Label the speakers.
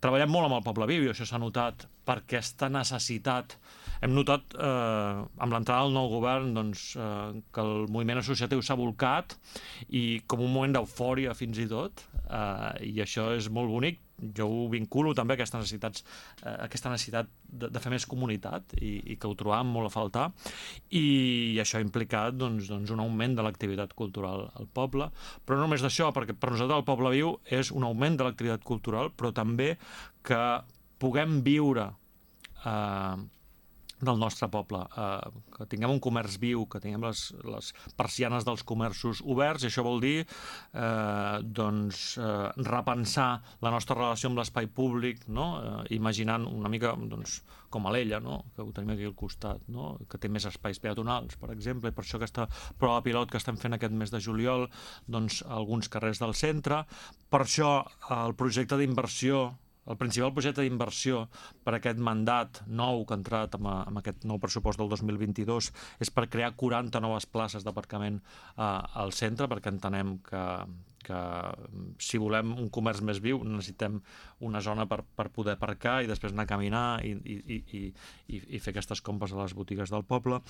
Speaker 1: Treballem molt amb el Poble Viu i això s'ha notat per aquesta necessitat. Hem notat, amb l'entrada del nou govern, que el moviment associatiu s'ha volcat i com un moment d'eufòria fins i tot, i això és molt bonic. Jo ho vinculo també a aquesta necessitat de fer més comunitat i que ho trobàvem molt a faltar, i això ha implicat un augment de l'activitat cultural al poble, però no només d'això, perquè per nosaltres el Poble Viu és un augment de l'activitat cultural, però també que puguem viure del nostre poble, que tinguem un comerç viu, que tinguem les persianes dels comerços oberts, i això vol dir repensar la nostra relació amb l'espai públic, no? Imaginant una mica com Alella, no? Que ho tenim aquí al costat, no? Que té més espais peatonals, per exemple, i per això aquesta prova pilot que estem fent aquest mes de juliol, alguns carrers del centre. Per això el projecte d'inversió, el principal projecte d'inversió per aquest mandat nou que ha entrat amb aquest nou pressupost del 2022 és per crear 40 noves places d'aparcament al centre, perquè entenem que si volem un comerç més viu necessitem una zona per poder aparcar i després anar a caminar i fer aquestes compres a les botigues del poble.